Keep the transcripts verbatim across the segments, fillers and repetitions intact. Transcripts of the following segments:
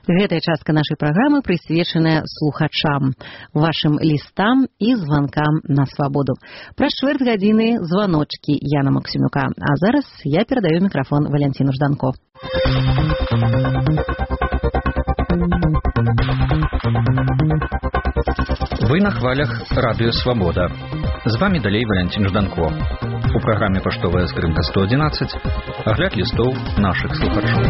Гэтая частка нашай праграмы прысвечаная слухачам, вашым лістам і званкам на свабоду. Праз чвэрць гадзіны званочкі Яна Максімюка. А зараз я перадаю мікрафон Валянціну Жданко. Вы на хвалях радыё «Свабода». З вами далей Валянцін Жданко. У праграме «Паштовая скрынка сто адзінаццаць» агляд лістоў нашых слухачоў.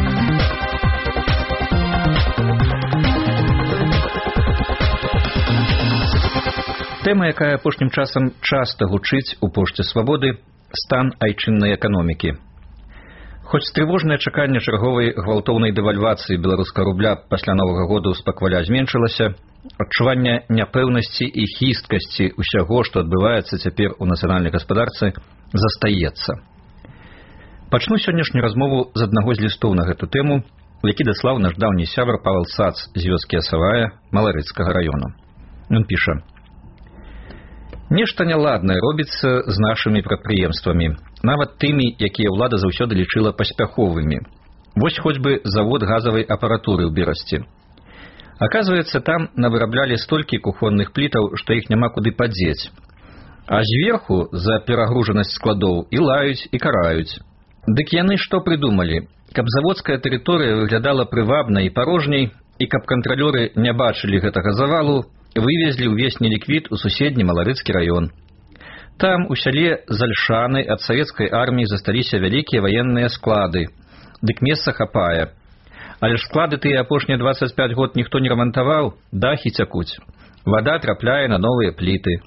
Тэма, якая апошнім часам часта гучыць у пошце «Свабоды» – стан айчыннай эканомікі. Хоць трывожнае чаканне чарговай гвалтоўнай дэвальвацыі беларускага рубля пасля Новага года ўспакваля зменшылася, адчуванне няпэўнасці і хісткасці ўсяго, што адбываецца цяпер у нацыянальнай гаспадарцы, застаецца. Пачну сённяшнюю размову з аднаго з лістоў на гэту тэму, які даслаў наш даўні сябар Павел Сац з вёскі Асавая Маларыцкага раёна. Ён піша: «Нешта няладнае робіцца з нашымі прадпрыемствамі, нават тымі, якія ўлада заўсёды лічыла паспяховымі. Вось хоць бы завод газавай апаратуры ў Берасці. Аказваецца, там навыраблялі столькі кухонных плітаў, што іх няма куды падзець. А зверху за перагружанасць складоў і лаюць, і караюць. Дык яны што прыдумалі? Каб заводская тэрыторыя выглядала прывабнай і парожняй, і каб кантралёры не бачылі гэтага завалу, вывезлі ўвесь неліквід у суседні Маларыцкі раён. Там у сяле Зальшаны ад савецкай арміі засталіся вялікія ваенныя склады. Дык месца хапае. Але ж склады тыя апошнія дваццаць пяць год ніхто не рамантаваў, дахі цякуць. Вада трапляе на новыя пліты.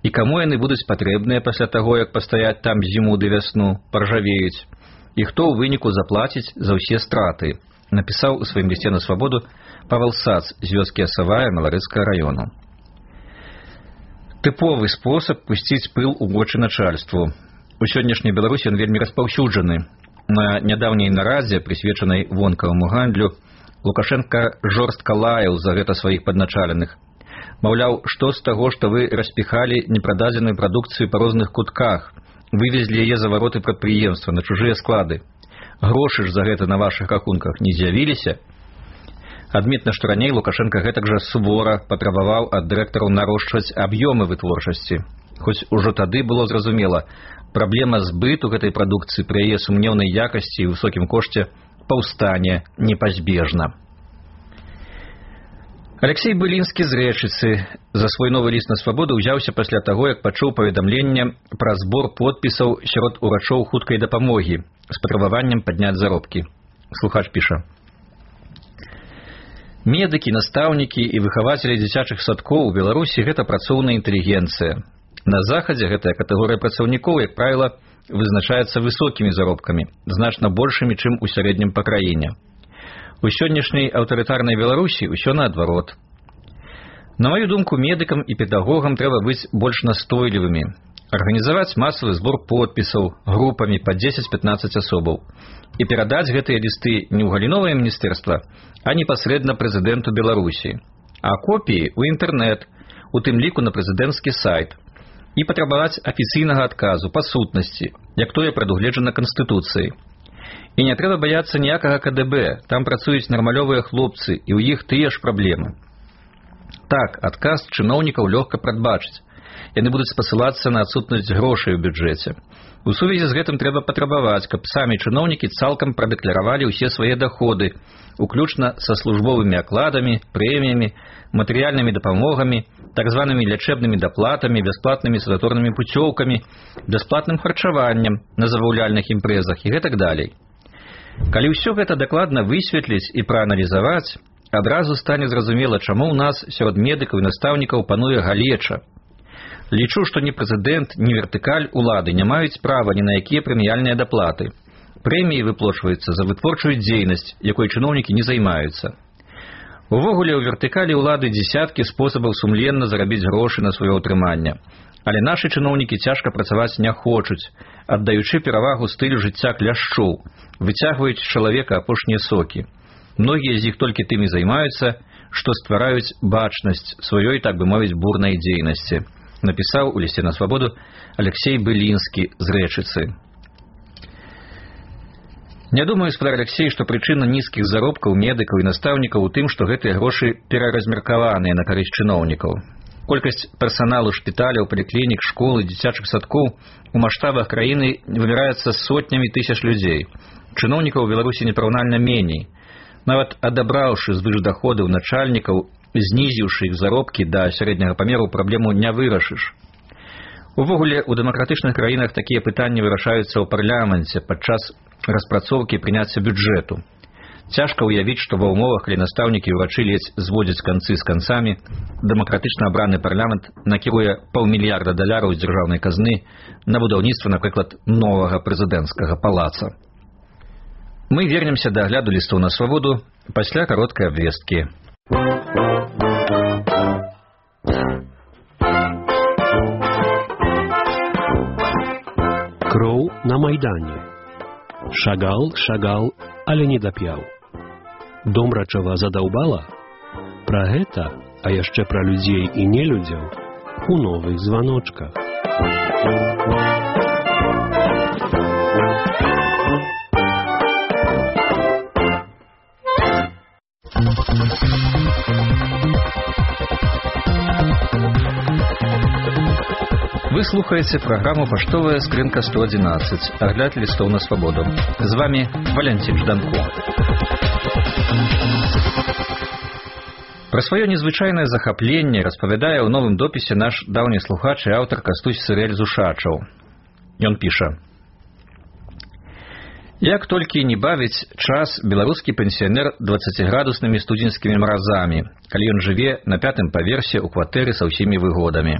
І каму яны будуць патрэбныя пасля таго, як пастаяць там зіму ды вясну, паржавеюць? І хто ў выніку заплаціць за ўсе страты?» Напісаў у сваім лісце на свабоду Павел Сац з вёскі Асавая Маларыцкага раёну. Тыповы спосаб пусціць пыл у вочы начальству. У сённяшняй Беларусі ён вельмі распаўсюджаны. На нядаўняй нарадзе, прысвечанай вонкаваму гандлю, Лукашенка жорстка лаяў за гэта сваіх падначаленых. Маўляў, што з таго, што вы распіхалі непрададзеную прадукцыю па розных кутках, вывезлі яе за вароты прадпрыемства на чужыя склады. Грошы ж за гэта на вашых рахунках не з'явіліся? Адметна, што раней Лукашенка гэтак жа сувора патрабаваў ад дырэктараў нарошчваць аб'ёмы вытворчасці. Хоць ужо тады было зразумела, праблема збыту гэтай прадукцыі пры яе сумнеўнай якасці і высокім кошце паўстане непазбежна. Алексей Былінскі з Рэчыцы за свой новы ліст на свабоду ўзяўся пасля таго, як пачуў паведамленне пра збор подпісаў сярод урачоў хуткай дапамогі з патрабаваннем падняць заробкі. Слухач піша: «Медыкі, настаўнікі і выхавацелі дзіцячых садкоў у Беларусі – гэта працоўная інтэлігенцыя. На захадзе гэтая катэгорыя працаўнікоў, як правіла, вызначаецца высокімі заробкамі, значна большымі, чым у сярэднім па краіне. У сённяшняй аўтарытарнай Беларусі ўсё наадварот. На маю думку, медыкам і педагогам трэба быць больш настойлівымі, арганізаваць масавы збор подпісаў групамі па дзесяць-пятнаццаць асобаў і перадаць гэтыя лісты не ў галіновае міністэрства, а непасрэдна прэзідэнту Беларусі, а копіі ў інтэрнэт, у тым ліку на прэзідэнцкі сайт, і патрабаваць афіцыйнага адказу па сутнасці, як тое прадугледжана Канстытуцыяй. І не трэба баяцца ніякага ка дэ бэ, там працуюць нармалёвыя хлопцы, і ў іх тыя ж праблемы. Так, адказ чыноўнікаў лёгка прадбачыць. Яны будуць спасылацца на адсутнасць грошай у бюджэце. У сувязі з гэтым трэба патрабаваць, каб самі чыноўнікі цалкам прадэкларавалі ўсе свае даходы, уключна са службовымі акладамі, прэміямі, матэрыяльнымі дапамогамі, так званымі лячэбнымі даплатамі, бясплатнымі санаторнымі пуцёўкамі, бясплатным харчаваннем на забаўляльных імпрэзах і гэтак далей. Калі ўсё гэта дакладна высветліць і прааналізаваць, адразу стане зразумела, чаму ў нас сярод медыкаў і настаўнікаў пануе галеча. Лічу, што ні прэзідэнт, ні вертыкаль улады не маюць права ні на якія прэміяльныя даплаты. Прэміі выплочваюцца за вытворчую дзейнасць, якой чыноўнікі не займаюцца. Увогуле, у вертыкалі ўлады дзесяткі спосабаў сумленна зарабіць грошы на сваё ўтрыманне. Але нашы чыноўнікі цяжка працаваць не хочуць, аддаючы перавагу стылю жыцця кляшчоў, выцягваюць з чалавека апошнія сокі. Многія з іх толькі тымі займаюцца, што ствараюць бачнасць сваёй, так бы мовіць, бурнай дзейнасці. Напісаў у лісце на свабоду Алексей Былінскі з Рэчыцы. Не думаю, спадар Алексей, што прычына нізкіх заробкаў медыкаў і настаўнікаў у тым, што гэтыя грошы пераразмеркаваныя на карысць чыноўнікаў. Колькасць персаналу шпіталяў, паліклінік, школ і дзіцячых садкоў у маштабах краіны вымяраецца сотнямі тысяч людзей. Чыноўнікаў у Беларусі непараўнальна меней. Нават адабраўшы звыш даходаў начальнікаў, знізіўшы іх заробкі да сярэдняга памеру, праблему не вырашыш. Увогуле, у дэмакратычных краінах такія пытанні вырашаюцца ў парламенце падчас распрацоўкі і прыняцця бюджэту. Цяжка ўявіць, што ва ўмовах, калі настаўнікі і ўрачы ледзь зводзяць канцы з канцамі, дэмакратычна абраны парламент накіруе паўмільярда даляраў з дзяржаўнай казны на будаўніцтва, напрыклад, новага прэзідэнцкага палаца. Мы вернемся да агляду лістоў на свабоду пасля кароткай абвесткі. Кроў на Майдане. Шагал, шагал, але не дап'яў. Домрачава задаўбала? Пра гэта, а яшчэ пра людзей і нелюдзяў у новых званочках. Вы слухаеце праграму «Паштовая скрынка сто адзінаццаць», агляд лістоў на свабоду. З вами Валянцін Жданко. Пра сваё незвычайнае захапленне распавядае ў новым допісе наш даўні слухач і аўтар Кастусь Сырэль з Ушачаў. Ён піша: «Як толькі не бавіць час беларускі пенсіянер дваццаціградуснымі студзеньскімі маразамі, калі ён жыве на пятым паверсе ў кватэры са ўсімі выгодамі.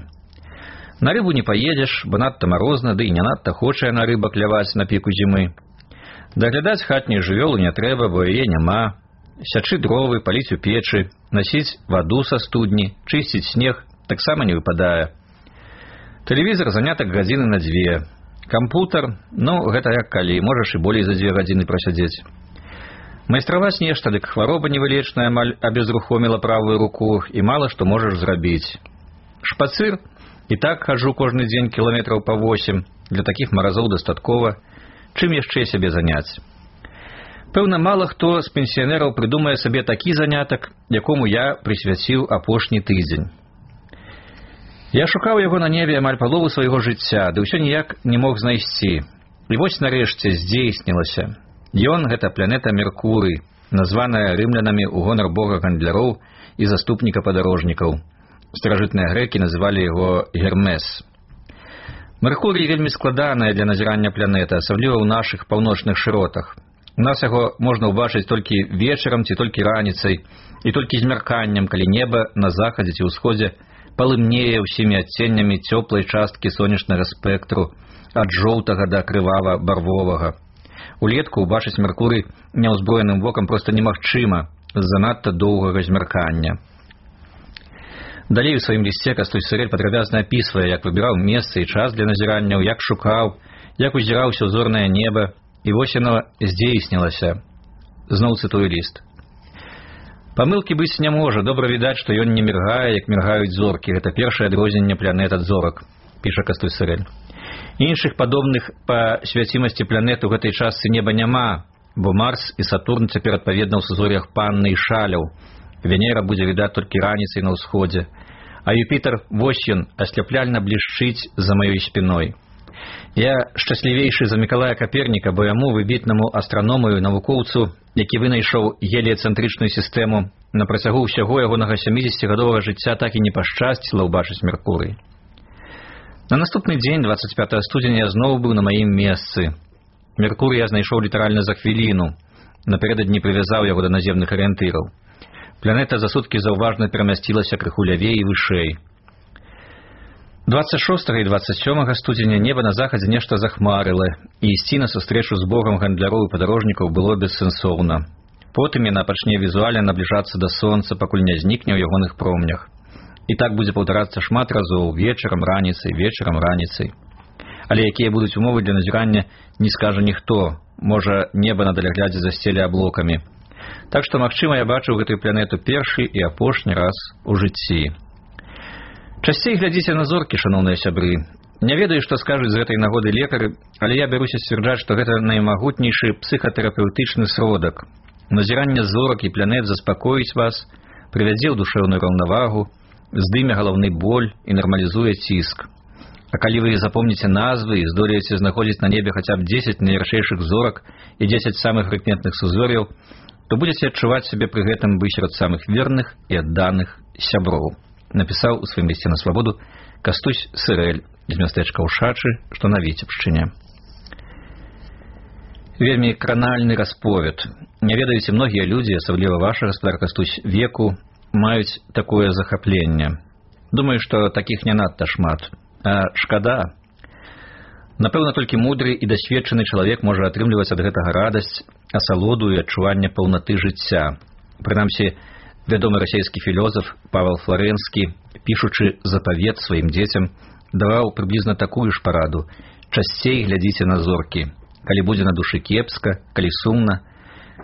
На рыбу не поедешь, бо надта марозна, ды і не надта хоча на рыба кляваць на піку зімы. Даглядаць хатнюю жывёлу не трэба, бо яе няма. Сячы дровы, паліць у печы, насіць ваду са студні, чысціць снег таксама не выпадае. Тэлевізор занятак гадзіны на дзве. Кампутер, ну, гэта як калі, можаш і болей за дзве гадзіны прасядзець. Майстраваць нешта, дык хвароба невылечная амаль абезрухоміла правую руку, і мала што можаш зрабіць. Шпацыр? І так хаджу кожны дзень кіламетраў па восем, для такіх маразоў дастаткова. Чым яшчэ сябе заняць? Пэўна, мала хто з пенсіянераў прыдумае сабе такі занятак, якому я прысвяціў апошні тыдзень. Я шукаў яго на небе амаль палову свайго жыцця, ды ўсё ніяк не мог знайсці. І вось нарэшце здзейснілася. Ён — гэта планета Меркурый, названая рымлянамі ў гонар бога гандляроў і заступніка падарожнікаў. Старажытныя грэкі называлі яго Гермес. Меркурый вельмі складаная для назірання планета, асабліва ў нашых паўночных шыротах. У нас яго можна ўбачыць толькі вечарам ці толькі раніцай, і толькі змярканнем, калі неба на захадзе ці ўсходзе палымнее ўсімі адценнямі цёплай часткі сонечнага спектру, ад жоўтага да крывава-барвовага. Улетку ўбачыць Меркурый няўзброеным вокам проста немагчыма з-за надта доўгага змяркання. Далей у сваім лісце Кастусь Сырэль падрабязна апісвае, як выбіраў месца і час для назіранняў, як шукаў, як узіраўся ў зорнае неба, і вось яно здзейснілася. Зноў цытую ліст. Памылкі быць не можа, добра відаць, што ён не міргае, як міргаюць зоркі. Гэта першае адрозненне планет ад зорак, піша Кастусь Сырэль. Іншых падобных па свяцімасці планет у гэтай частцы неба няма, бо Марс і Сатурн цяпер адпаведна ў сузор'ях Панны і Шаляў. Венера будзе відаць толькі раніцай на ўсходзе, а Юпітер, вось ён, асляпляльна блішчыць за маёй спіной. Я шчаслівейшы за Мікалая Каперніка, бо яму, выбітнаму астраному і навукоўцу, які вынайшоў геліяцэнтрычную сістэму, на працягу ўсяго ягонага сямідзесяцігадовага жыцця так і не пашчасціла ўбачыць Меркурый. На наступны дзень, дваццаць пятага студзеня, я зноў быў на маім месцы. Меркурый я знайшоў літаральна за хвіліну, напярэдадні прывязаў яго да наземных арыентыраў. Планета за суткі заўважна перамясцілася крыху лявей і вышэй. дваццаць шостага і дваццаць сёмага студзеня неба на захадзе нешта захмарыла, і ісці на сустрэчу з богам гандляроў і падарожнікаў было бессэнсоўна. Потым яна пачне візуальна набліжацца да сонца, пакуль не знікне ў ягоных промнях. І так будзе паўтарацца шмат разоў, вечарам, раніцай, вечарам, раніцай. Але якія будуць умовы для назірання, не скажа ніхто. Можа, неба на даляглядзе засцеле аблокамі. Так што, магчыма, я бачыў гэтую планету першы і апошні раз у жыцці. Часцей глядзіце на зоркі, шаноўныя сябры. Не ведаю, што скажуць з гэтай нагоды лекары, але я бяруся сцвярджаць, што гэта наймагутнейшы псіхатэрапеўтычны сродак. Назіранне зорак і планет заспакоіць вас, прывядзе ў душэўную раўнавагу, здыме галаўны боль і нармалізуе ціск. А калі вы запомніце назвы і здолееце знаходзіць на небе хаця б дзесяць найяршэйшых зорак і дзесяць самых прыкметных сузор'яў, то будзеце адчуваць сябе пры гэтым быць сярод самых верных і адданых сяброў. Напісаў у сваім лісце на свабоду Кастусь Сырэль з мястэчка Ушачы, што на Віцебшчыне. Вельмі кранальны расповед. Не ведаеце, многія людзі, асабліва ваша, гаспадар Кастусь, веку, маюць такое захапленне. Думаю, што такіх не надта шмат. А шкада. Напэўна, толькі мудры і дасведчаны чалавек можа атрымліваць ад гэтага радасць, асалоду і адчуванне паўнаты жыцця. Прынамсі, вядомы расійскі філёзаф Павел Фларэнскі, пішучы запавет сваім дзецям, даваў прыблізна такую ж параду: часцей глядзіце на зоркі, калі будзе на душы кепска, калі сумна,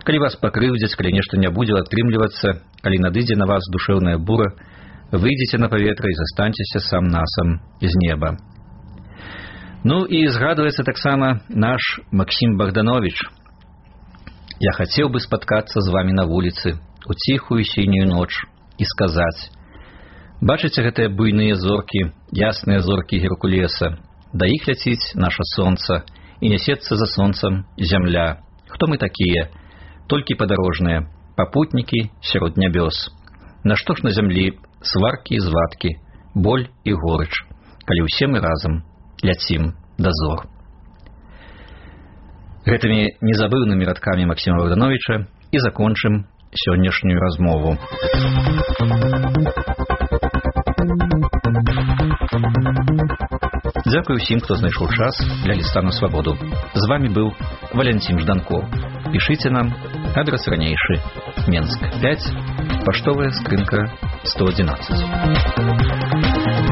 калі вас пакрыўдзяць, калі нешта не будзе атрымлівацца, калі надыдзе на вас душэўная бура, выйдзеце на паветра і застаньцеся сам насам з неба. Ну і згадваецца таксама наш Максім Богданович. Я хацеў бы спаткацца з вамі на вуліцы у ціхую сінюю ноч і сказаць: бачыце гэтыя буйныя зоркі, ясныя зоркі Геркулеса, да іх ляціць наша сонца, і нясецца за сонцам зямля. Хто мы такія? Толькі падарожныя, папутнікі сярод нябёс. Нашто ж на зямлі сваркі і звадкі, боль і горыч, калі ўсе мы разам ляцім да зор. Гэтымі незабыўнымі радкамі Максіма Богдановича і закончым сённяшнюю размову. Дзякую ўсім, хто знайшоў час для ліста на свабоду. З вамі быў Валянцін Жданко. Пішыце нам, адрес ранейшы: Менск пяць, паштовая скрынка сто адзінаццаць.